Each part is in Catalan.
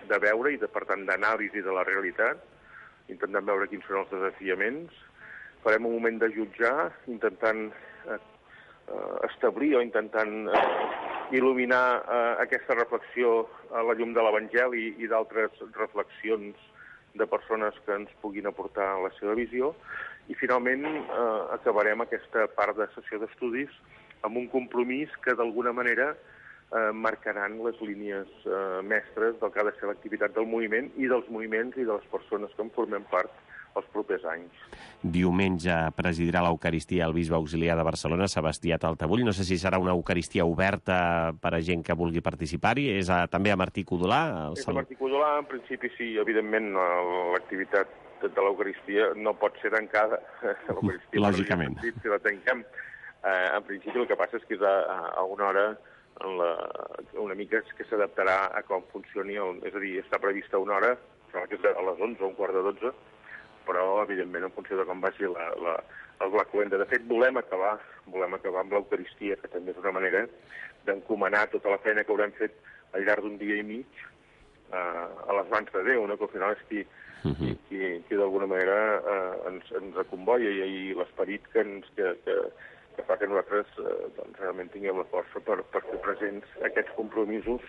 de veure i, per tant, d'anàlisi de la realitat, intentant veure quins són els desafiaments. Farem un moment de jutjar, intentant establir o intentant il·luminar aquesta reflexió a la llum de l'Evangeli i d'altres reflexions de persones que ens puguin aportar la seva visió. I, finalment, acabarem aquesta part de sessió d'estudis amb un compromís que, d'alguna manera, marcaran les línies mestres del que ha de ser l'activitat del moviment i dels moviments i de les persones que en formem part els propers anys. Diumenge presidirà l'Eucaristia el bisbe auxiliar de Barcelona, Sebastià Taltabull. No sé si serà una Eucaristia oberta per a gent que vulgui participar-hi. És també a Martí Codolà? És a Martí Codolà, en principi sí. Evidentment, l'activitat de l'Eucaristia no pot ser tancada. Lògicament. Si la tanquem, en principi el que passa és que és a una hora una mica que s'adaptarà a com funcioni. És a dir, està prevista una hora, que és a les 11 o un quart de 12, però, evidentment, en funció de com vagi la cloenda. De fet, volem acabar amb l'Eucaristia, que també és una manera d'encomanar tota la feina que haurem fet al llarg d'un dia i mig a les mans de Déu, que al final és qui d'alguna manera ens acomboia i l'esperit que fa que nosaltres realment tinguem la força per fer presents aquests compromisos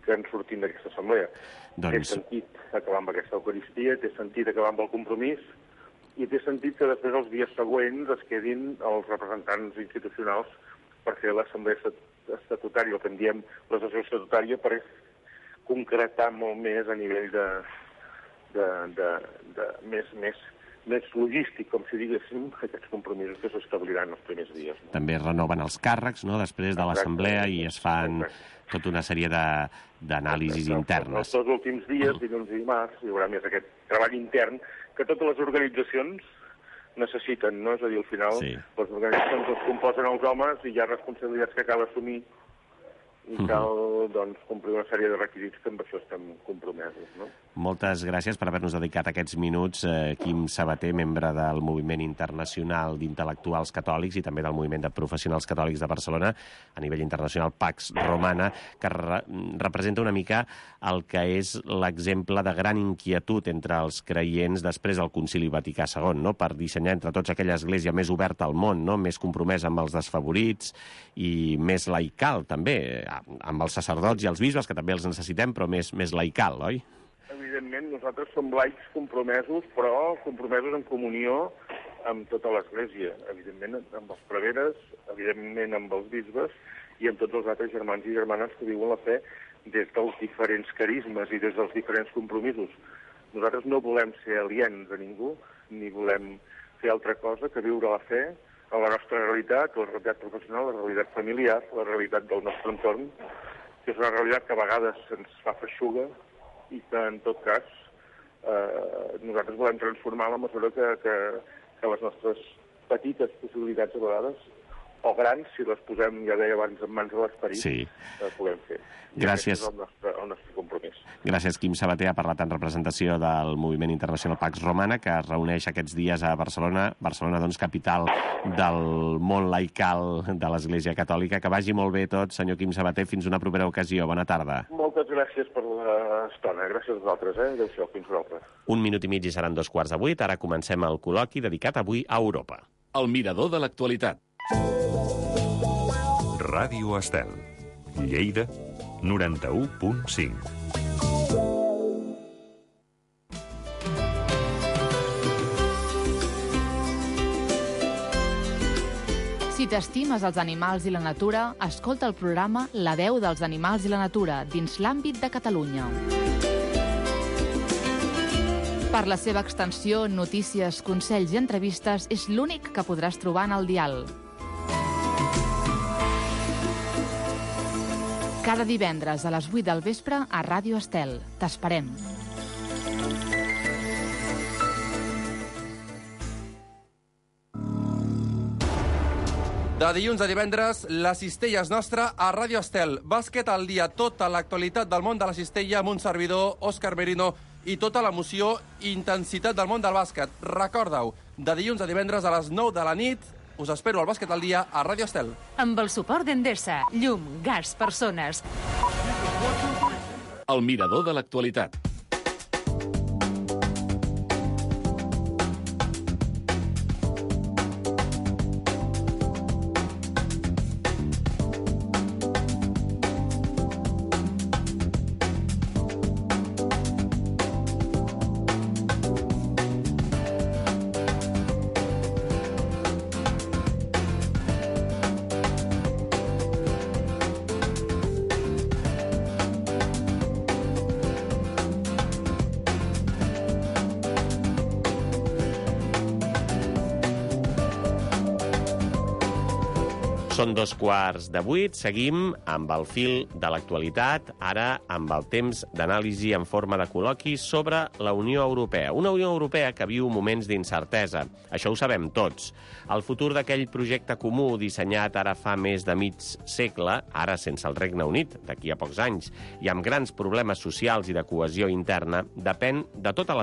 que en sortim d'aquesta assemblea. Té sentit acabar amb aquesta Eucaristia, té sentit acabar amb el compromís i té sentit que després els dies següents es quedin els representants institucionals per fer l'assemblea estatutària, el que en diem la sessió estatutària, per concretar molt més a nivell més logístic, com si diguéssim, aquests compromisos que s'establiran els primers dies. També es renoven els càrrecs, després de l'assemblea, i es fan tota una sèrie d'anàlisis internes. Els 2 últims dies, dilluns i dimarts, hi haurà més aquest treball intern que totes les organitzacions necessiten, no? És a dir, al final, les organitzacions es composen els homes i hi ha responsabilitats que cal assumir i cal, complir una sèrie de requisits que amb això estem compromesos, no? Moltes gràcies per haver-nos dedicat aquests minuts. Quim Sabater, membre del Moviment Internacional d'Intel·lectuals Catòlics i també del Moviment de Professionals Catòlics de Barcelona, a nivell internacional Pax Romana, que representa una mica el que és l'exemple de gran inquietud entre els creients després del Concili Vaticà II, per dissenyar entre tots aquella església més oberta al món, més compromesa amb els desfavorits i més laical, també, amb els sacerdots i els bisbes, que també els necessitem, però més laical, oi? Evidentment, nosaltres som laics compromesos, però compromesos en comunió amb tota l'Església, evidentment amb els preveres, evidentment amb els bisbes i amb tots els altres germans i germanes que viuen la fe des dels diferents carismes i des dels diferents compromisos. Nosaltres no volem ser aliens a ningú, ni volem fer altra cosa que viure la fe a la nostra realitat, la realitat professional, la realitat familiar, la realitat del nostre entorn, que és una realitat que a vegades ens fa feixuga i que, en tot cas, nosaltres volem transformar a la mesura que les nostres petites possibilitats, a vegades, o grans, si les posem, ja deia abans, en mans de l'esperit, puguem fer. Gràcies. I aquest és el nostre compromís. Gràcies, Quim Sabater. Ha parlat en representació del Moviment Internacional Pax Romana, que es reuneix aquests dies a Barcelona. Barcelona, capital del món laical de l'Església Catòlica. Que vagi molt bé tot, senyor Quim Sabater. Fins una propera ocasió. Bona tarda. Moltes gràcies per l'estona. Gràcies a vosaltres. Adéu-siau. Fins vosaltres. 1 minut i mig i seran 7:15. Ara comencem el col·loqui dedicat avui a Europa. El mirador de l'actualitat. Ràdio Estel, Lleida, 91.5. Si t'estimes els animals i la natura, escolta el programa La veu dels animals i la natura, dins l'àmbit de Catalunya. Per la seva extensió, notícies, consells i entrevistes, és l'únic que podràs trobar en el dial. Cada divendres a les 8 del vespre a Ràdio Estel. T'esperem. De dilluns a divendres, la cistella és nostra a Ràdio Estel. Bàsquet al dia, tota l'actualitat del món de la cistella amb un servidor, Òscar Merino, i tota l'emoció i intensitat del món del bàsquet. Recorda-ho, de dilluns a divendres a les 9 de la nit, us espero al Bàsquet al dia a Ràdio Estel. Amb el suport d'Endesa, llum, gas, persones. El mirador de l'actualitat. Són 7:15, seguim amb el fil de l'actualitat, ara amb el temps d'anàlisi en forma de col·loqui sobre la Unió Europea. Una Unió Europea que viu moments d'incertesa, això ho sabem tots. El futur d'aquell projecte comú dissenyat ara fa més de mig segle, ara sense el Regne Unit, d'aquí a pocs anys, i amb grans problemes socials i de cohesió interna, depèn de tota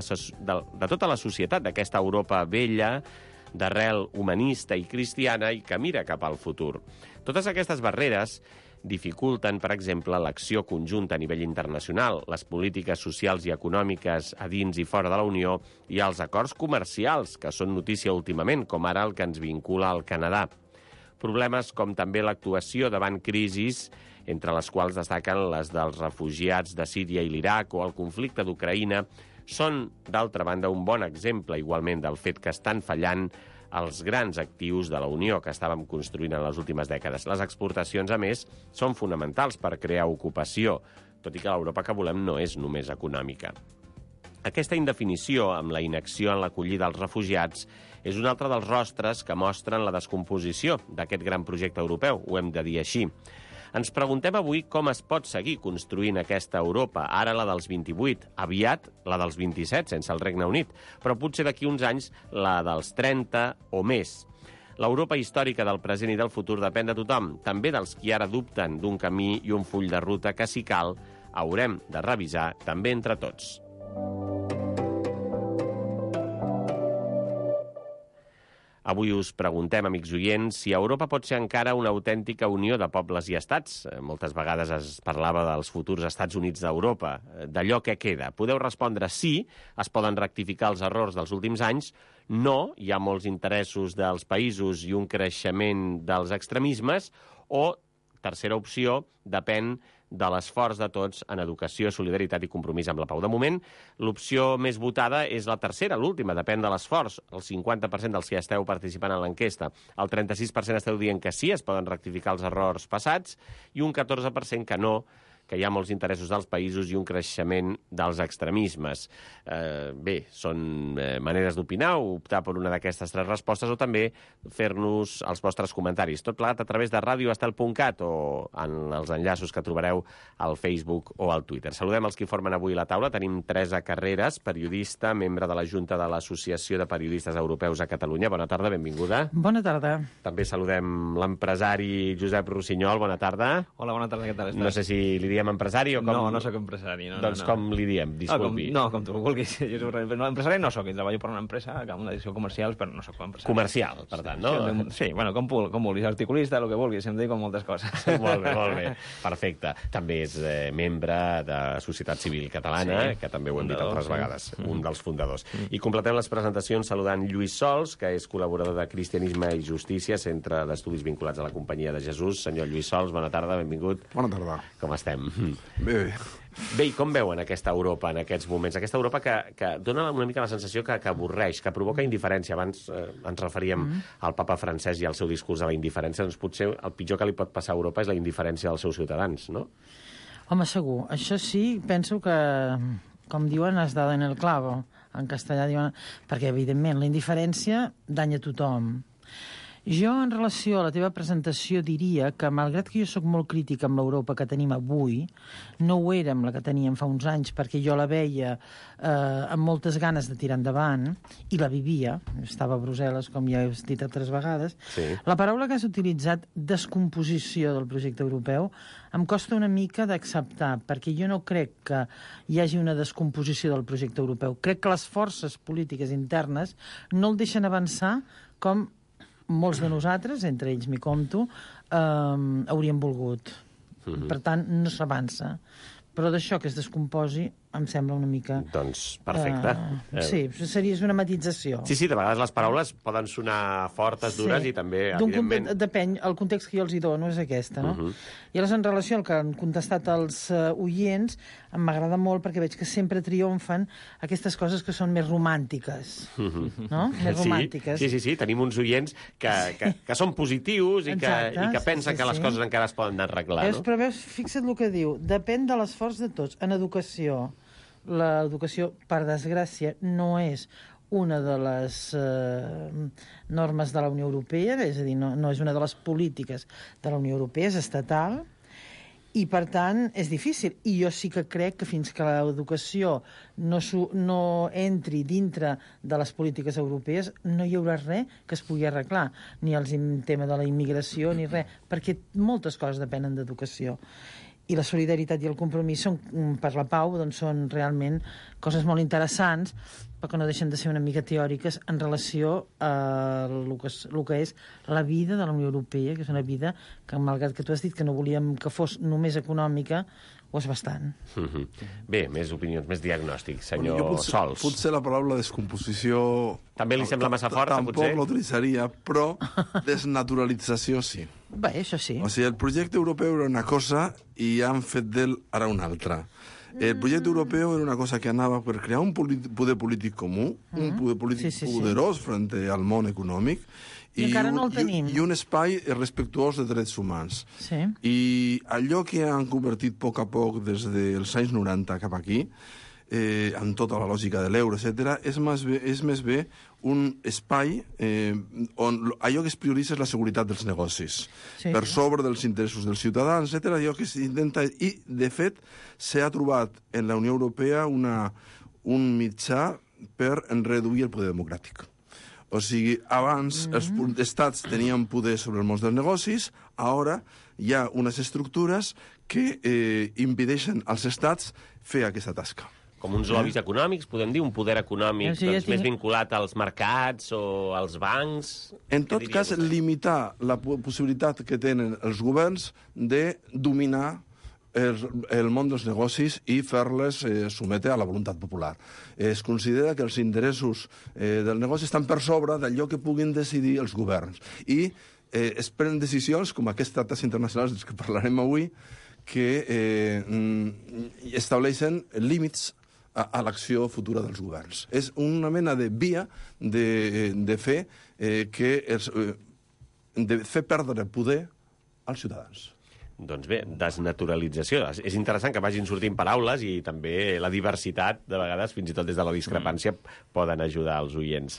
la societat d'aquesta Europa vella, d'arrel humanista i cristiana i que mira cap al futur. Totes aquestes barreres dificulten, per exemple, l'acció conjunta a nivell internacional, les polítiques socials i econòmiques a dins i fora de la Unió i els acords comercials, que són notícia últimament, com ara el que ens vincula al Canadà. Problemes com també l'actuació davant crisis, entre les quals destaquen les dels refugiats de Síria i l'Iraq o el conflicte d'Ucraïna, són, d'altra banda, un bon exemple igualment del fet que estan fallant els grans actius de la Unió que estàvem construint en les últimes dècades. Les exportacions, a més, són fonamentals per crear ocupació, tot i que l'Europa que volem no és només econòmica. Aquesta indefinició amb la inacció en l'acollida dels refugiats és un altre dels rostres que mostren la descomposició d'aquest gran projecte europeu, ho hem de dir així. Ens preguntem avui com es pot seguir construint aquesta Europa, ara la dels 28, aviat la dels 27, sense el Regne Unit, però potser d'aquí uns anys la dels 30 o més. L'Europa històrica del present i del futur depèn de tothom, també dels qui ara dubten d'un camí i un full de ruta que, si cal, haurem de revisar també entre tots. Avui us preguntem, amics oients, si Europa pot ser encara una autèntica unió de pobles i estats. Moltes vegades es parlava dels futurs Estats Units d'Europa, d'allò que queda. Podeu respondre sí, es poden rectificar els errors dels últims anys, no, hi ha molts interessos dels països i un creixement dels extremismes, o, tercera opció, depèn de l'esforç de tots en educació, solidaritat i compromís amb la pau. De moment, l'opció més votada és la tercera, l'última, depèn de l'esforç. El 50% dels que esteu participant en l'enquesta. El 36% esteu dient que sí, es poden rectificar els errors passats, i un 14% que no, que hi ha molts interessos dels països i un creixement dels extremismes. Bé, són maneres d'opinar, optar per una d'aquestes tres respostes o també fer-nos els vostres comentaris. Tot plegat a través de radioestel.cat o en els enllaços que trobareu al Facebook o al Twitter. Saludem els que formen avui la taula. Tenim Teresa Carreras, periodista, membre de la Junta de l'Associació de Periodistes Europeus a Catalunya. Bona tarda, benvinguda. Bona tarda. També saludem l'empresari Josep Rossinyol. Bona tarda. Hola, bona tarda, què tal estàs? No sé si li diem empresari o com... No soc empresari. Doncs com li diem, disculpi. Com tu vulguis. Jo soc empresari no soc, treballo per una empresa, una edició comercial, però no soc empresari. Comercial, per tant, no? Sí, bueno, com vulguis, articulista, el que vulguis, em dic com moltes coses. Molt bé, perfecte. També és membre de Societat Civil Catalana, que també ho hem dit altres vegades, un dels fundadors. I completem les presentacions saludant Lluís Sols, que és col·laborador de Cristianisme i Justícia, centre d'estudis vinculats a la Companyia de Jesús. Senyor Lluís Sols, bona tarda, benvingut. Bona tarda. Com estem? Bé. Bé, i com veuen aquesta Europa en aquests moments? Aquesta Europa que dona una mica la sensació que avorreix, que provoca indiferència. Abans ens referíem al papa francès i al seu discurs de la indiferència. Doncs potser el pitjor que li pot passar a Europa és la indiferència dels seus ciutadans, no? Home, segur. Això sí, penso que, com diuen, has dado en el clavo. En castellà diuen... Perquè, evidentment, la indiferència danya tothom. Jo, en relació a la teva presentació, diria que, malgrat que jo sóc molt crítica amb l'Europa que tenim avui, no ho era amb la que teníem fa uns anys, perquè jo la veia amb moltes ganes de tirar endavant, i la vivia. Estava a Brussel·les, com ja he dit altres vegades. Sí. La paraula que has utilitzat, descomposició del projecte europeu, em costa una mica d'acceptar, perquè jo no crec que hi hagi una descomposició del projecte europeu. Crec que les forces polítiques internes no el deixen avançar com molts de nosaltres, entre ells m'hi compto, hauríem volgut. Per tant, no s'avança. Però d'això que es descomposi em sembla una mica... Doncs perfecte. Sí, seria una matització. Sí, de vegades les paraules poden sonar fortes, dures, i també, evidentment... Depèn, el context que jo els hi dono és aquesta, no? I aleshores, en relació al que han contestat els oients, m'agrada molt perquè veig que sempre triomfen aquestes coses que són més romàntiques, no? Més romàntiques. Sí, tenim uns oients que són positius i que pensen que les coses encara es poden arreglar, no? Però veus, fixa't el que diu, depèn de l'esforç de tots. En educació, l'educació, per desgràcia, no és una de les normes de la Unió Europea, és a dir, no és una de les polítiques de la Unió Europea, és estatal, i, per tant, és difícil. I jo sí que crec que fins que l'educació no entri dintre de les polítiques europees, no hi haurà res que es pugui arreglar, ni el tema de la immigració, ni res, perquè moltes coses depenen d'educació. I la solidaritat i el compromís per la pau són realment coses molt interessants, però que no deixen de ser una mica teòriques en relació a el que és la vida de la Unió Europea, que és una vida que, malgrat que tu has dit que no volíem que fos només econòmica, ho és bastant. Bé, més opinions, més diagnòstics, senyor Sols. Potser la paraula descomposició... També li sembla massa forta, potser? Tampoc l'utilitzaria, però desnaturalització sí. Bé, això sí. O sigui, el projecte europeu era una cosa i han fet d'ell ara una altra. El projecte europeu era una cosa que anava per crear un poder polític comú, un poder polític poderós frente al món econòmic, I encara no el tenim. I un espai respectuós de drets humans. Sí. I allò que han convertit a poc des dels anys 90 cap aquí, amb tota la lògica de l'euro, etc., és més bé un espai on allò que es prioritza és la seguretat dels negocis, per sobre dels interessos dels ciutadans, etc., allò que s'intenta... I, de fet, s'ha trobat en la Unió Europea un mitjà per reduir el poder democràtic. O sigui, abans els estats tenien poder sobre el món dels negocis, ara hi ha unes estructures que impedeixen als estats fer aquesta tasca. Com uns lobbies econòmics, podem dir, un poder econòmic més vinculat als mercats o als bancs? En tot cas, limitar la possibilitat que tenen els governs de dominar el món dels negocis i fer-les sometre a la voluntat popular. Es considera que els interessos del negoci estan per sobre d'allò que puguin decidir els governs. I es prenen decisions, com aquests tractats internacionals dels que parlarem avui, que estableixen límits a l'acció futura dels governs. És una mena de via de fer perdre poder als ciutadans. Doncs bé, desnaturalització. És interessant que vagin sortint paraules i també la diversitat, de vegades, fins i tot des de la discrepància, poden ajudar els oients.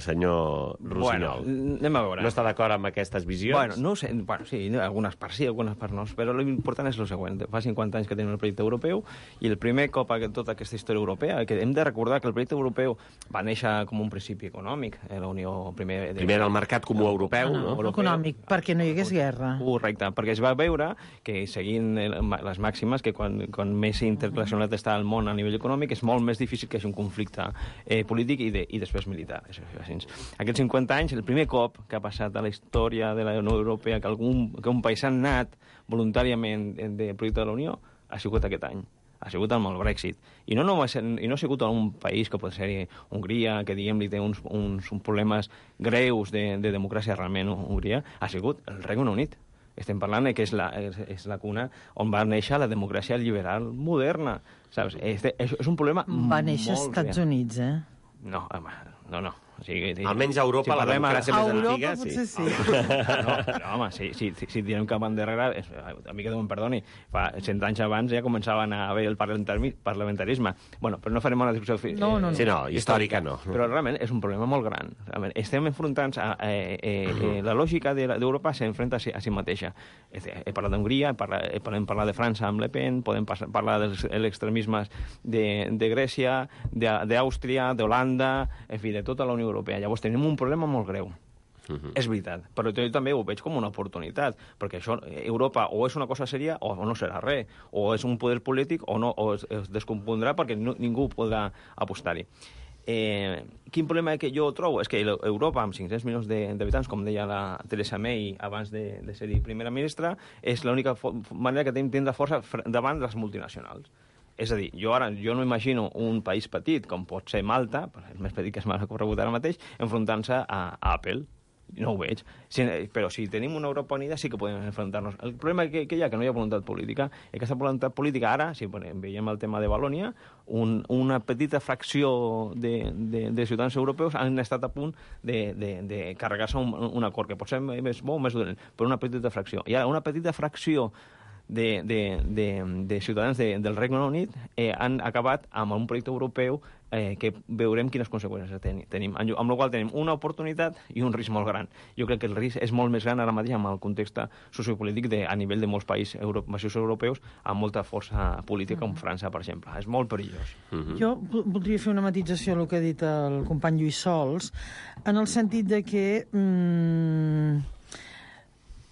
Senyor Rossinyol, anem a veure. No està d'acord amb aquestes visions? No ho sé. Sí, algunes parts sí, algunes parts no. Però l'important és el següent. Fa 50 anys que tenim el projecte europeu i el primer cop a tota aquesta història europea, que hem de recordar que el projecte europeu va néixer com un principi econòmic. La Unió primer era el mercat comú europeu, no? Econòmic, perquè no hi hagués guerra. Correcte, perquè es va veure que seguint les màximes, que quan més interrelacionat està el món a nivell econòmic és molt més difícil que hi hagi un conflicte polític i després militar. Aquests 50 anys, el primer cop que ha passat a la història de la Unió Europea que un país ha anat voluntàriament del projecte de la Unió ha sigut aquest any. Ha sigut amb el Brexit. I no ha sigut un país que pot ser Hongria, que diguem-li té uns problemes greus de democràcia realment, Hongria, ha sigut el Regne Unit. Estem parlant que és la cuna on va néixer la democràcia liberal moderna. Saps? És un problema va néixer als Estats Units, eh? No, home, no. O sigui, almenys a Europa, la democràcia més antiga, sí. Potser sí. Però, home, si diem que van darrere, a mi que Déu em perdoni, fa 100 anys abans ja començaven a haver el parlamentarisme. Bueno, però no farem una discussió... No. Sí, no, històrica no. Però realment és un problema molt gran. Estem enfrontant la lògica d'Europa s'enfrenta a si mateixa. He parlat d'Hongria, podem parlar de França amb Le Pen, podem parlar dels extremismes de Grècia, d'Àustria, d'Holanda, en fi, de tota la Unió Europea. Llavors tenim un problema molt greu. És veritat, però jo també ho veig com una oportunitat, perquè això, Europa o és una cosa sèria o no serà res, o és un poder polític o es descompondrà perquè ningú podrà apostar-hi. Quin problema que jo trobo? És que Europa, amb 500 milions d'habitants, com deia la Theresa May abans de ser primera ministra, és l'única manera que tenim de tindre força davant de les multinacionals. És a dir, jo no imagino un país petit, com pot ser Malta, el més petit que es m'ha corregut ara mateix, enfrontant-se a Apple. No ho veig. Però si tenim una Europa unida sí que podem enfrontar-nos. El problema que hi ha, que no hi ha voluntat política, és que aquesta voluntat política ara, si veiem el tema de Valònia, una petita fracció de ciutadans europeus han estat a punt de carregar-se un acord, que pot ser més bo o més dolent, però una petita fracció. I ara una petita fracció de ciutadans del Regne Unit han acabat amb un projecte europeu que veurem quines conseqüències tenim. Amb la qual tenim una oportunitat i un risc molt gran. Jo crec que el risc és molt més gran ara mateix amb el context sociopolític a nivell de molts països europeus amb molta força política, com França, per exemple. És molt perillós. Jo voldria fer una matització al que ha dit el company Lluís Sols, en el sentit de que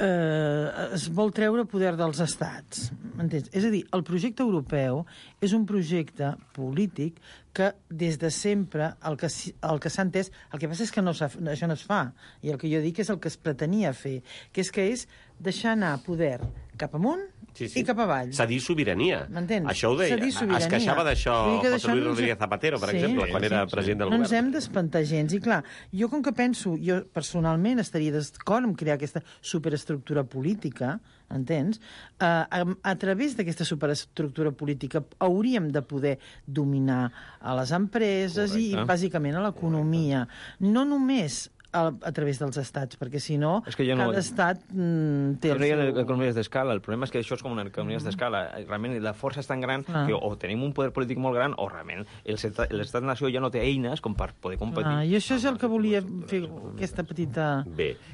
es vol treure poder dels estats. M'entens? És a dir, el projecte europeu és un projecte polític que des de sempre el que s'ha entès, el que passa és que això no es fa, i el que jo dic és el que es pretenia fer, que és deixar anar poder cap amunt i cap avall. Cedir sobirania. M'entens? Això ho deia. Es queixava d'això José Luis Rodríguez Zapatero, per exemple, quan era president del govern. No ens hem d'espantar gens. I clar, jo com que penso, jo personalment estaria d'acord en crear aquesta superestructura política, entens? A través d'aquesta superestructura política hauríem de poder dominar a les empreses i bàsicament a l'economia. No només a través dels estats, perquè si no, cada estat té el seu... economies d'escala. El problema és que això és com una economia d'escala. Realment la força és tan gran que o tenim un poder polític molt gran o realment l'estat-nació ja no té eines com per poder competir. I això és el que volia fer, aquesta petita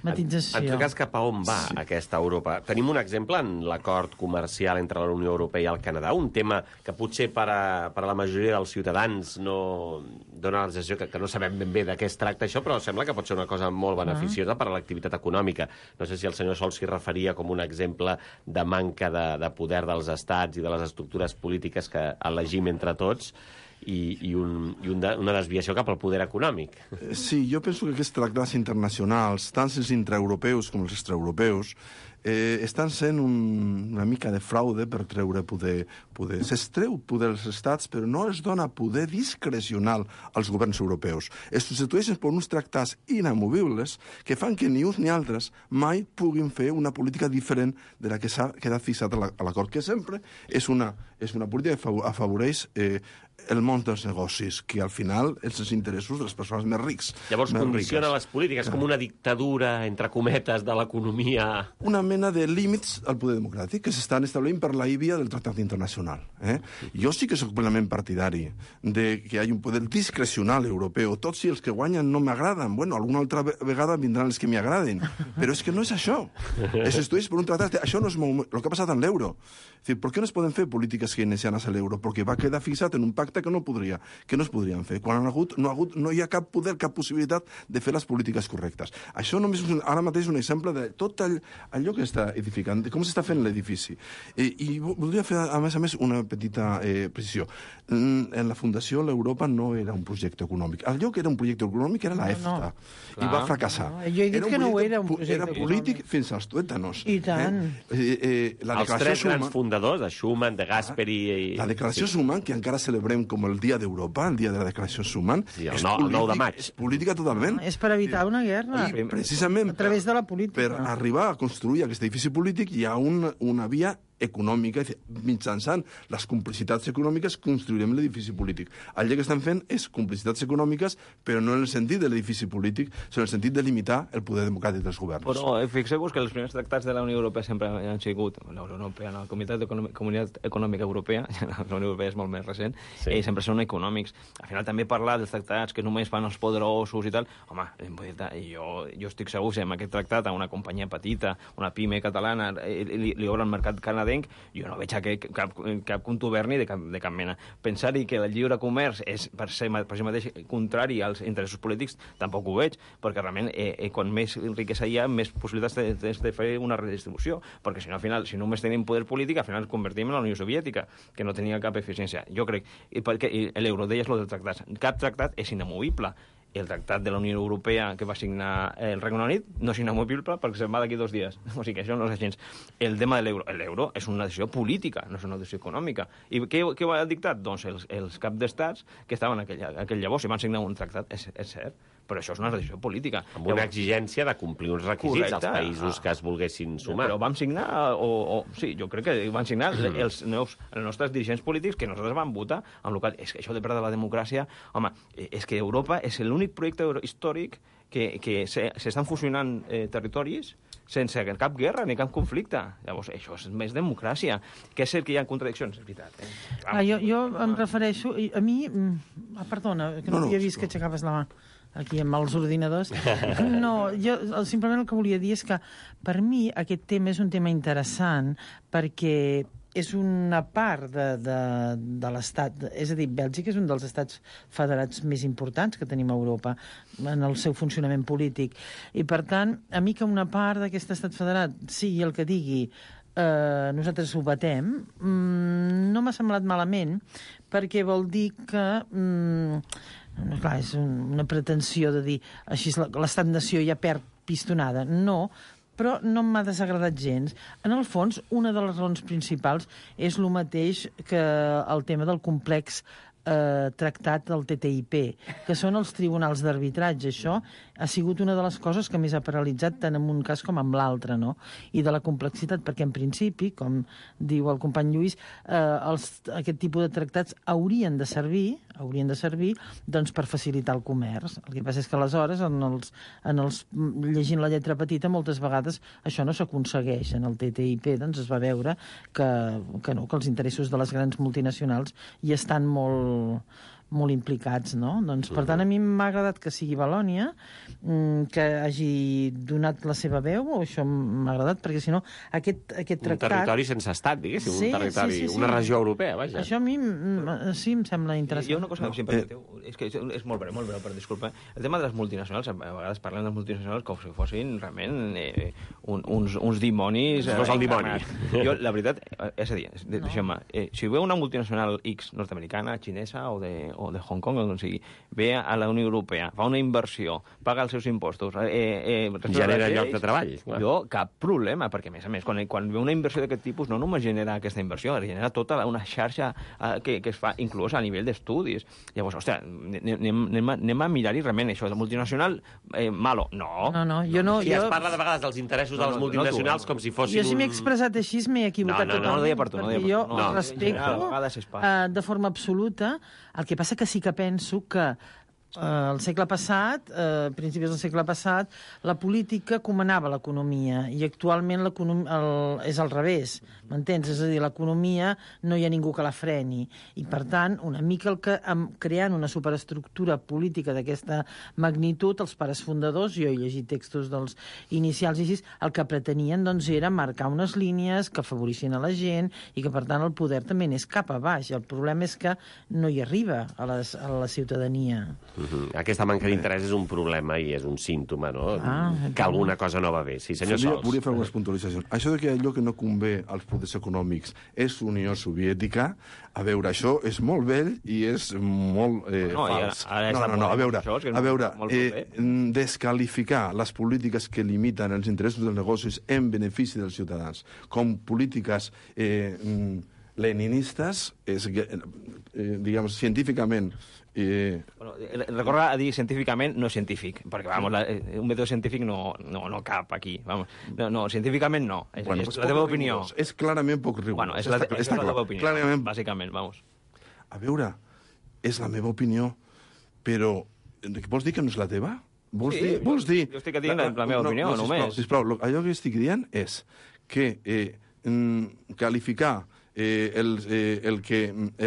matització. En tot cas, cap a on va aquesta Europa? Tenim un exemple en l'acord comercial entre la Unió Europea i el Canadà, un tema que potser per a la majoria dels ciutadans no dona la sensació que no sabem ben bé de què es tracta això, però sembla que pot ser una cosa molt beneficiosa per a l'activitat econòmica. No sé si el senyor Sol s'hi referia com un exemple de manca de poder dels estats i de les estructures polítiques que elegim entre tots i una desviació cap al poder econòmic. Sí, jo penso que aquests tractats internacionals, tant els intraeuropeus com els extraeuropeus, estan sent una mica de fraude per treure poder. S'estreu poder als estats, però no es dona poder discrecional als governs europeus. Es substitueixen per uns tractats inamovibles que fan que ni uns ni altres mai puguin fer una política diferent de la que s'ha quedat fixat a l'acord, que sempre és una política que afavoreix el món dels negocis, que al final és els interessos de les persones més rics. Llavors condiciona les polítiques com una dictadura, entre cometes, de l'economia... Una mena de límits al poder democràtic que s'estan establint per la via del Tractat Internacional. Jo sí que soc plenament partidari de que hi hagi un poder discrecional europeu. Tots si els que guanyen no m'agraden, bueno, alguna altra vegada vindran els que m'hi agradin. Però és que no és això. Es estudies per un tractat... Això no és el que ha passat amb l'euro. És dir, per què no es poden fer polítiques keynesianes a l'euro? Perquè va quedar fixat en un pacte que no es podrien fer. Quan no hi ha cap poder, cap possibilitat de fer les polítiques correctes. Això només ara mateix és un exemple de tot allò que està edificant, de com s'està fent l'edifici. I voldria fer, a més, una petita precisió. En la Fundació l'Europa no era un projecte econòmic. Allò que era un projecte econòmic era la EFTA. I va fracassar. Jo he dit que no era un projecte econòmic. Era polític fins als tuétanos. I tant. Els tres grans fundadors, de Schuman, de Gasperi... La declaració Schuman, que encara celebrem com el Dia d'Europa, el dia de la declaració Schuman, el 9 de maig. És política totalment. És per evitar una guerra. I precisament a través de la política. Per arribar a construir aquest edifici polític hi ha una via econòmica, mitjançant les complicitats econòmiques construirem l'edifici polític. Allò que estan fent és complicitats econòmiques, però no en el sentit de l'edifici polític, sinó en el sentit de limitar el poder democràtic dels governs. Però fixeu-vos que els primers tractats de la Unió Europea sempre han sigut, la Unió Europea, la Comunitat Econòmica Europea, la Unió Europea és molt més recent, sempre són econòmics. Al final també parlar dels tractats que només fan els poderosos i tal, home, jo estic segur que amb aquest tractat a una companyia petita, una pime catalana, li obre el mercat canadenc, canadenc, jo no veig cap contuberni de cap mena. Pensar-hi que el lliure comerç és per si mateix contrari als interessos polítics, tampoc ho veig, perquè realment quan més riquesa hi ha, més possibilitats de fer una redistribució, perquè si no, al final, si només tenim poder polític, al final ens convertim en la Unió Soviètica, que no tenia cap eficiència. Jo crec, perquè l'euro, deies lo dels tractats, cap tractat és inamovible. El tractat de la Unió Europea que va signar el Regne Unit no és inamovible perquè se'n va d'aquí 2 dies. O sigui que això no és gens. El tema de l'euro. L'euro és una decisió política, no és una decisió econòmica. I què ho ha dictat? Doncs els caps d'estats que estaven aquell llavors i van signar un tractat, és cert, però això és una decisió política. Amb una exigència de complir uns requisits als països que es volguessin sumar. Però vam signar, sí, jo crec que van signar els nostres dirigents polítics que nosaltres vam votar amb el qual, és que això de perdre la democràcia, home, és que Europa és l'únic projecte històric que s'estan fusionant territoris sense cap guerra ni cap conflicte. Llavors, això és més democràcia. Que és cert que hi ha contradiccions, és veritat. Jo em refereixo... A mi... Perdona, que no havia vist que aixecaves la mà aquí amb els ordinadors. No, jo simplement el que volia dir és que per mi aquest tema és un tema interessant perquè és una part de l'Estat, és a dir, Bèlgica és un dels estats federats més importants que tenim a Europa en el seu funcionament polític. I, per tant, a mi que una part d'aquest estat federat sigui el que digui nosaltres ho batem, no m'ha semblat malament, perquè vol dir que... clar, és una pretensió de dir així l'estat-nació ja perd pistonada. No, però no m'ha desagradat gens. En el fons, una de les raons principals és el mateix que el tema del complex tractat del TTIP, que són els tribunals d'arbitratge. Això ha sigut una de les coses que més ha paralitzat tant en un cas com en l'altre, no? I de la complexitat, perquè en principi, com diu el company Lluís, aquest tipus de tractats haurien de servir doncs, per facilitar el comerç. El que passa és que aleshores, llegint la lletra petita, moltes vegades això no s'aconsegueix. En el TTIP doncs, es va veure que els interessos de les grans multinacionals hi estan molt implicats, no? Doncs, per tant, a mi m'ha agradat que sigui Valònia, que hagi donat la seva veu, o això m'ha agradat, perquè si no, aquest tractat... Un territori sense estat, diguéssim, un territori, una regió europea, vaja. Això a mi sí em sembla interessant. Hi ha una cosa que sempre permeteu, és que és molt breu, per disculpa. El tema de les multinacionals, a vegades parlen de multinacionals com si fossin realment uns dimonis... No és el dimoni. Jo, la veritat, és a dir, deixeu-me, si veu una multinacional X nord-americana, xinesa o de Hong Kong, o sigui, ve a la Unió Europea, fa una inversió, paga els seus impostos... genera llocs de treball. Jo, cap problema, perquè, a més, quan ve una inversió d'aquest tipus, no només genera aquesta inversió, genera tota una xarxa que es fa, inclús a nivell d'estudis. Llavors, ostres, anem a mirar-hi realment això. De multinacional, malo. No. Jo no. Sí, es parla de vegades dels interessos de les multinacionals com si fossin Jo si m'he expressat així m'he equivocat totalment. No ho deia per tu. Perquè jo respecto de forma absoluta. El que passa que sí que penso que al segle passat, principis del segle passat, la política comandava l'economia i actualment és al revés, m'entens? És a dir, l'economia no hi ha ningú que la freni i, per tant, una mica creant una superestructura política d'aquesta magnitud, els pares fundadors, jo he llegit textos dels inicials i així, el que pretenien doncs, era marcar unes línies que afavorissin a la gent i que, per tant, el poder també anés cap a baix. El problema és que no hi arriba a la ciutadania. Aquesta manca d'interès és un problema i és un símptoma, no? Que alguna cosa no va bé. Sí, senyor Sols. Volia fer algunes puntualitzacions. Això de que allò que no convé als poders econòmics és Unió Soviètica, a veure, això és molt vell i és molt fals. A veure, descalificar les polítiques que limiten els interessos dels negocis en benefici dels ciutadans com polítiques leninistes, diguem, científicament... Recorda a dir científicament no científic, perquè un mètode científic no cap aquí. No, científicament no. És la teva opinió. És clarament poc rigorós. És la teva opinió, bàsicament, vamos. A veure, és la meva opinió, però vols dir que no és la teva? Vols dir... Jo estic dient la meva opinió, només. Sisplau, allò que estic dient és que qualificar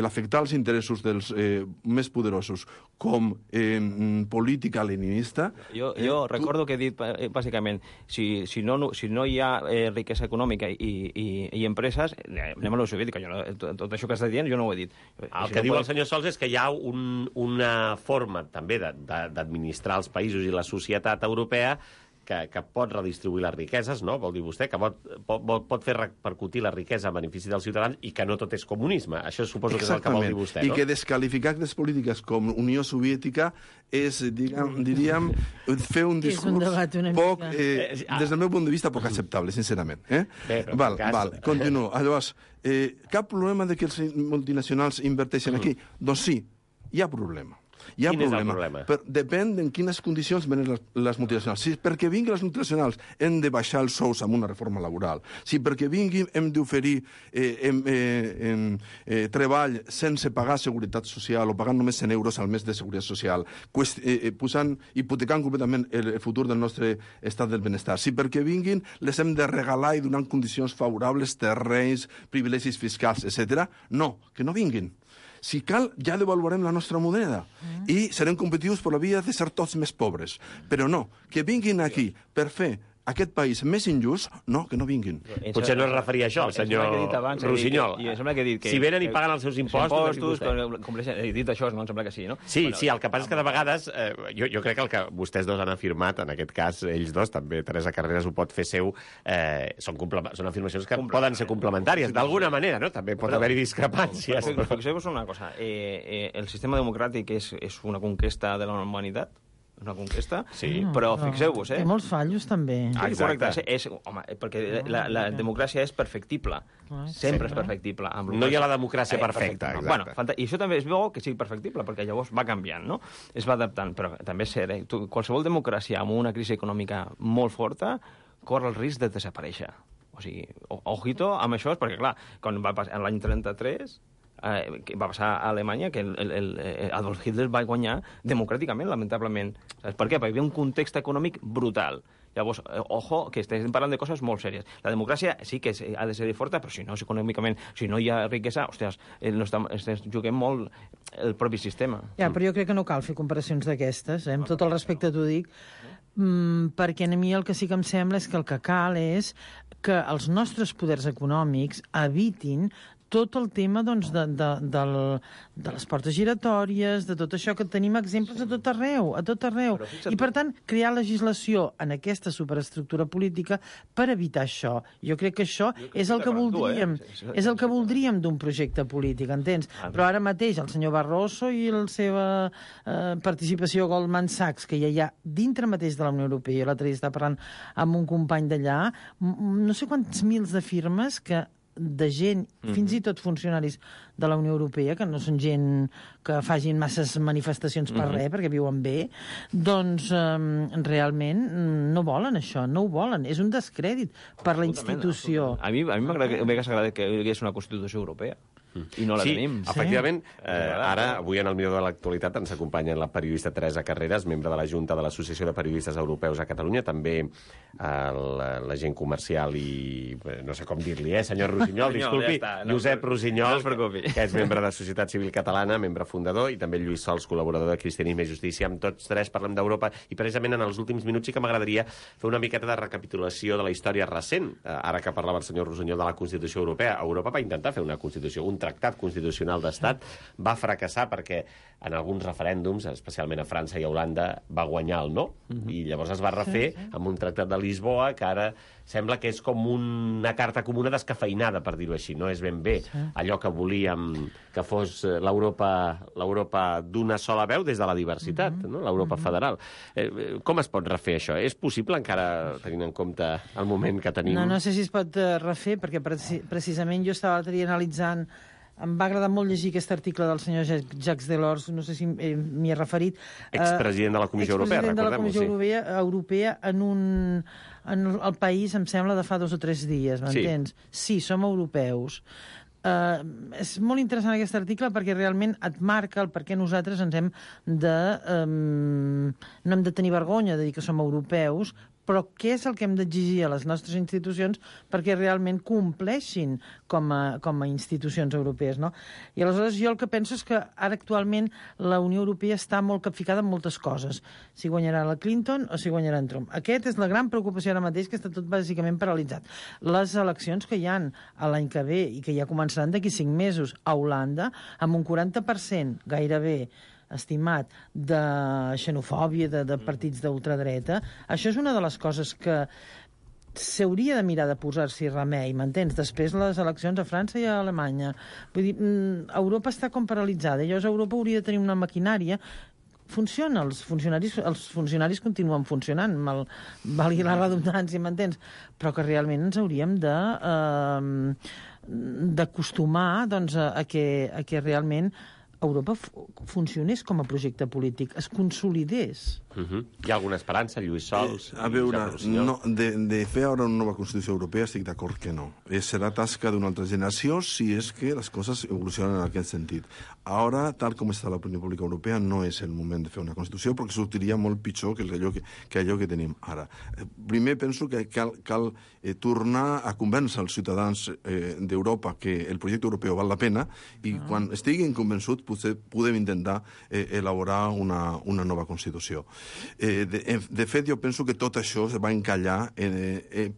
l'afectar els interessos dels més poderosos com política leninista... Jo recordo que he dit, bàsicament, si no hi ha riquesa econòmica i empreses, anem a la soviètica. Tot això que estàs dient jo no ho he dit. El que diu el senyor Sols és que hi ha una forma també d'administrar els països i la societat europea que pot redistribuir les riqueses, no? Vol dir vostè que pot fer repercutir la riquesa a benefici dels ciutadans i que no tot és comunisme. Això suposo que és el que vol dir vostè, no? I que desqualificar aquestes polítiques com Unió Soviètica és, diríem, fer un discurs poc, des del meu punt de vista, poc acceptable, sincerament. Val, continuo. Llavors, cap problema de que els multinacionals inverteixen aquí? Doncs sí, hi ha problema. Quin és el problema? Depèn en quines condicions venen les multinacionals. Si perquè vinguin les multinacionals hem de baixar els sous amb una reforma laboral, si perquè vinguin hem d'oferir treball sense pagar seguretat social o pagant només 100 euros al mes de seguretat social, hipotecant completament el futur del nostre estat del benestar. Si perquè vinguin les hem de regalar i donar condicions favorables, terrenys, privilegis fiscals, etc. No, que no vinguin. Si cal, ja devaluarem la nostra moneda i serem competitius per la via de ser tots més pobres. Però no, que vinguin aquí per fer aquest país més injust, no, que no vinguin. Potser no es referia a això, el senyor Rossinyol. Si venen i paguen els seus impostos... He dit això, no? Em sembla que sí, no? Sí, el que passa és que de vegades, jo crec que el que vostès dos han afirmat, en aquest cas, ells dos, també Teresa Carreras ho pot fer seu, són afirmacions que poden ser complementàries, d'alguna manera, no? També pot haver-hi discrepàncies. Fixeu-vos una cosa, el sistema democràtic és una conquesta de la humanitat, una conquesta, però fixeu-vos, Té molts fallos, també. Correcte, perquè la democràcia és perfectible, sempre és perfectible. No hi ha la democràcia perfecta. I això també és bo que sigui perfectible, perquè llavors va canviant, no? Es va adaptant, però també és cert, qualsevol democràcia amb una crisi econòmica molt forta corre el risc de desaparèixer. O sigui, ojito amb això, perquè clar, quan va passar l'any 33... que va passar a Alemanya, que Adolf Hitler va guanyar democràticament, lamentablement. Saps per què? Perquè hi havia un context econòmic brutal. Llavors, ojo, que estem parlant de coses molt sèries. La democràcia sí que ha de ser forta, però si no és econòmicament, si no hi ha riquesa, ostres, juguem molt el propi sistema. Ja, però jo crec que no cal fer comparacions d'aquestes, amb tot el respecte t'ho dic, perquè a mi el que sí que em sembla és que el que cal és que els nostres poders econòmics evitin tot el tema doncs, de les portes giratòries, de tot això que tenim exemples a tot arreu. I, per tant, crear legislació en aquesta superestructura política per evitar això. Jo crec que això és el que voldríem. És el que voldríem d'un projecte polític, entens? Però ara mateix el senyor Barroso i la seva participació a Goldman Sachs, que ja hi ha dintre mateix de la Unió Europea, l'altre dia estava parlant amb un company d'allà, no sé quants mils de firmes de gent, fins i tot funcionaris de la Unió Europea, que no són gent que facin masses manifestacions per res, perquè viuen bé, doncs realment no volen això, no ho volen. És un descrèdit per la institució. A mi m'agradaria que hi hagués una Constitució Europea. I no la tenim. Efectivament, ara, avui en el Miró de l'Actualitat ens acompanya la periodista Teresa Carreras, membre de la Junta de l'Associació de Periodistes Europeus a Catalunya, també l'agent comercial i no sé com dir-li, senyor Rossinyol, disculpi, Josep Rossinyol, que és membre de Societat Civil Catalana, membre fundador, i també Lluís Sols, col·laborador de Cristianisme i Justícia. Amb tots tres parlem d'Europa i precisament en els últims minuts sí que m'agradaria fer una miqueta de recapitulació de la història recent. Ara que parlava el senyor Rossinyol de la Constitució Europea, Europa va intentar fer una Constitució, un tractat constitucional d'Estat, va fracassar perquè en alguns referèndums, especialment a França i a Holanda, va guanyar el no, i llavors es va refer amb un tractat de Lisboa que ara sembla que és com una carta comuna descafeinada, per dir-ho així. No és ben bé allò que volíem que fos l'Europa d'una sola veu des de la diversitat, no? L'Europa federal. Com es pot refer això? És possible encara tenint en compte el moment que tenim? No sé si es pot refer, perquè precisament jo estava l'altre dia analitzant. Em va agradar molt llegir aquest article del senyor Jacques Delors, no sé si m'hi he referit. Expresident de la Comissió Europea, recordem-ho, sí. Expresident de la Comissió Europea en el país, em sembla, de fa 2 o 3 dies, m'entens? Sí, som europeus. És molt interessant aquest article perquè realment et marca el per què nosaltres ens hem de... no hem de tenir vergonya de dir que som europeus, però què és el que hem d'exigir a les nostres institucions perquè realment compleixin com a institucions europees, no? I aleshores jo el que penso és que ara actualment la Unió Europea està molt capficada en moltes coses. Si guanyarà la Clinton o si guanyarà en Trump. Aquesta és la gran preocupació ara mateix, que està tot bàsicament paralitzat. Les eleccions que hi ha l'any que ve i que ja començaran d'aquí 5 mesos a Holanda, amb un 40% gairebé estimat de xenofòbia, de partits d'ultradreta. Això és una de les coses que s'hauria de mirar de posar-s'hi remei, m'entens? Després les eleccions a França i a Alemanya. Vull dir, Europa està com paralitzada. Llavors Europa hauria de tenir una maquinària. Funciona, els funcionaris continuen funcionant, valgui la redundància, m'entens? Però que realment ens hauríem d'acostumar a que realment Europa funcionés com a projecte polític, es consolidés. Hi ha alguna esperança, Lluís Sols? A veure, no, de fer ara una nova Constitució Europea estic d'acord que no. Serà tasca d'una altra generació si és que les coses evolucionen en aquest sentit. Ara, tal com està l'opinió pública europea, no és el moment de fer una Constitució perquè sortiria molt pitjor que allò que tenim ara. Primer penso que cal tornar a convèncer els ciutadans d'Europa que el projecte europeu val la pena i quan estiguin convençuts potser podem intentar elaborar una nova Constitució. De fet, jo penso que tot això es va encallar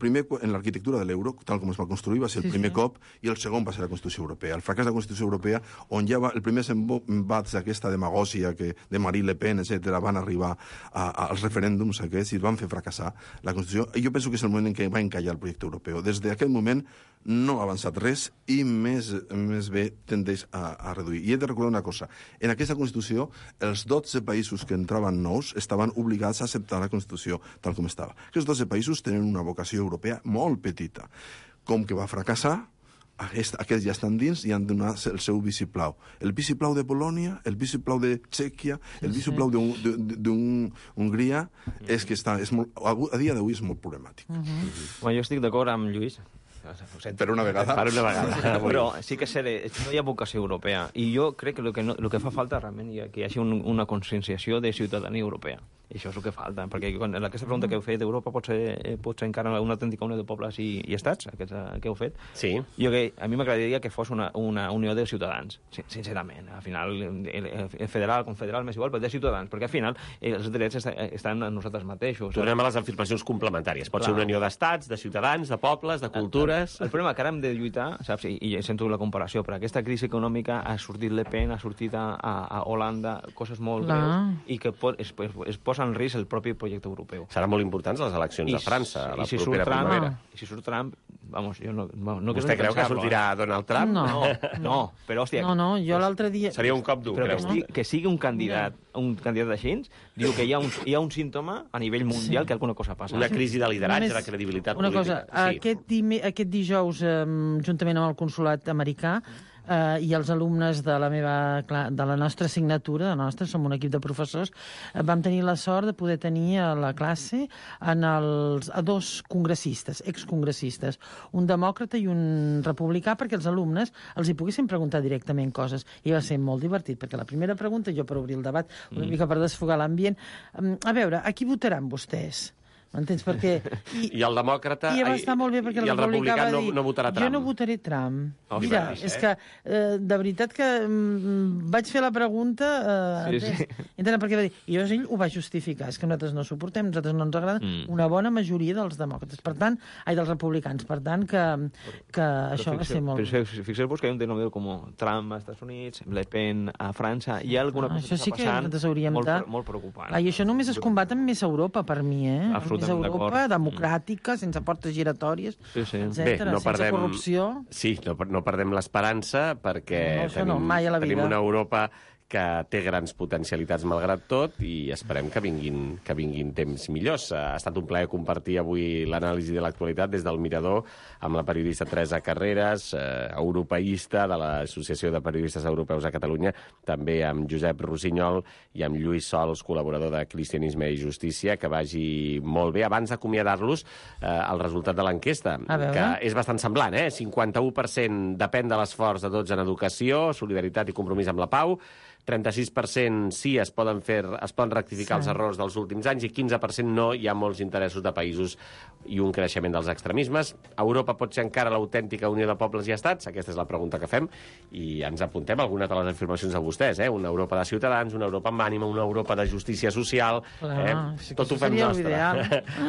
primer en l'arquitectura de l'euro, tal com es va construir, va ser el primer cop, i el segon va ser la Constitució Europea. El fracàs de la Constitució Europea, on ja el primer embats d'aquesta demagògia de Marine Le Pen, etc., van arribar als referèndums aquests i van fer fracassar la Constitució. Jo penso que és el moment en què va encallar el projecte europeu. Des d'aquest moment no ha avançat res i més bé tendeix a reduir. I he de recordar una cosa. En aquesta Constitució, els 12 països que entraven nous estaven obligats a acceptar la Constitució tal com estava. Aquests 12 països tenen una vocació europea molt petita. Com que va fracassar, aquests ja estan dins i han de donar el seu vistiplau. El vistiplau de Polònia, el vistiplau de Txèquia, el vistiplau d'Hongria, és que a dia d'avui és molt problemàtic. Jo estic d'acord amb Lluís. Per una vegada. Per una vegada. Però sí que no hi ha vocació europea. I jo crec que el que fa falta realment és que hi hagi una conscienciació de ciutadania europea. I això és el que falta, perquè aquesta pregunta que heu fet d'Europa pot ser encara una autèntica unió de pobles i estats, aquesta que heu fet. Sí. A mi m'agradaria que fos una unió de ciutadans, sincerament. Al final, el federal, confederal, m'és igual, però de ciutadans, perquè al final els drets estan en nosaltres mateixos. Tornem a les afirmacions complementàries. Pot ser una unió d'estats, de ciutadans, de pobles, de cultures... El problema que ara hem de lluitar, saps, i sento la comparació, però aquesta crisi econòmica ha sortit Le Pen, ha sortit a Holanda, coses molt greus, i que es posa en risc el propi projecte europeu. Seran molt importants les eleccions a França, a la propera primavera. I si surt Trump, vamos, jo no Vostè creu que sortirà Donald Trump? No, però, hòstia... No, jo l'altre dia... Seria un cop dur, creu. Que sigui un candidat d'així, diu que hi ha un símptoma a nivell mundial que alguna cosa passa. Una crisi de lideratge, de credibilitat política. Una cosa, aquest dijous, juntament amb el consolat americà, i els alumnes de la nostra assignatura, som un equip de professors, vam tenir la sort de poder tenir a la classe a dos congressistes, excongressistes, un demòcrata i un republicà, perquè els alumnes els hi poguessin preguntar directament coses. I va ser molt divertit, perquè la primera pregunta, jo per obrir el debat, una mica per desfogar l'ambient, a veure, a qui votaran vostès? M'entens? Perquè... I el demòcrata... I va estar molt bé perquè el republicà va dir... no votarà Trump. Jo no votaré Trump. Mira, és que de veritat que vaig fer la pregunta... Perquè va dir... I llavors ell ho va justificar. És que nosaltres no suportem, nosaltres no ens agrada una bona majoria dels demòcrates. Per tant, dels republicans. Per tant, que això va ser molt... Fixeu-vos que hi ha un denominador com Trump als Estats Units, Le Pen a França, hi ha alguna cosa que està passant molt preocupant. I això només es combat amb més Europa, per mi, més Europa, democràtica, sense portes giratòries, etcètera, sense corrupció. Sí, no perdem l'esperança perquè tenim una Europa que té grans potencialitats malgrat tot i esperem que vinguin temps millors. Ha estat un plaer compartir avui l'anàlisi de l'actualitat des del Mirador amb la periodista Teresa Carreras, europeista de l'Associació de Periodistes Europeus a Catalunya, també amb Josep Rossinyol i amb Lluís Sols, col·laborador de Cristianisme i Justícia. Que vagi molt bé. Abans d'acomiadar-los, el resultat de l'enquesta, que és bastant semblant, 51% depèn de l'esforç de tots en educació, solidaritat i compromís amb la pau, 36% sí es poden rectificar els errors dels últims anys i 15% no, hi ha molts interessos de països i un creixement dels extremismes. Europa pot ser encara l'autèntica unió de pobles i estats? Aquesta és la pregunta que fem i ens apuntem algunes de les afirmacions de vostès, Una Europa de ciutadans, una Europa amb ànima, una Europa de justícia social. Tot ho fem nostre.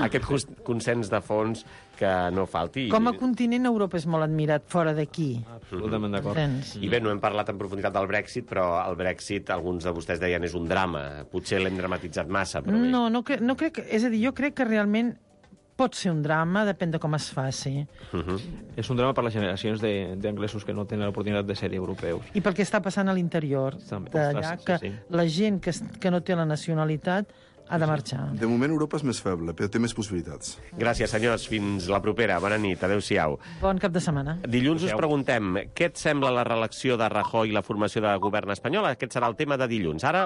Aquest consens de fons que no falti. Com a continent, Europa és molt admirat fora d'aquí. Absolutament d'acord. I bé, no hem parlat en profunditat del Brexit, però el Brexit, alguns de vostès deien, és un drama. Potser l'hem dramatitzat massa, però bé. No crec... És a dir, jo crec que realment pot ser un drama, depèn de com es faci. És un drama per les generacions d'anglesos que no tenen l'oportunitat de ser europeus. I pel que està passant a l'interior d'allà, que la gent que no té la nacionalitat ha de marxar. De moment Europa és més feble, però té més possibilitats. Gràcies, senyors. Fins la propera. Bona nit. Adéu-siau. Bon cap de setmana. Dilluns us preguntem què et sembla la reelecció de Rajoy i la formació de govern espanyol? Aquest serà el tema de dilluns. Ara,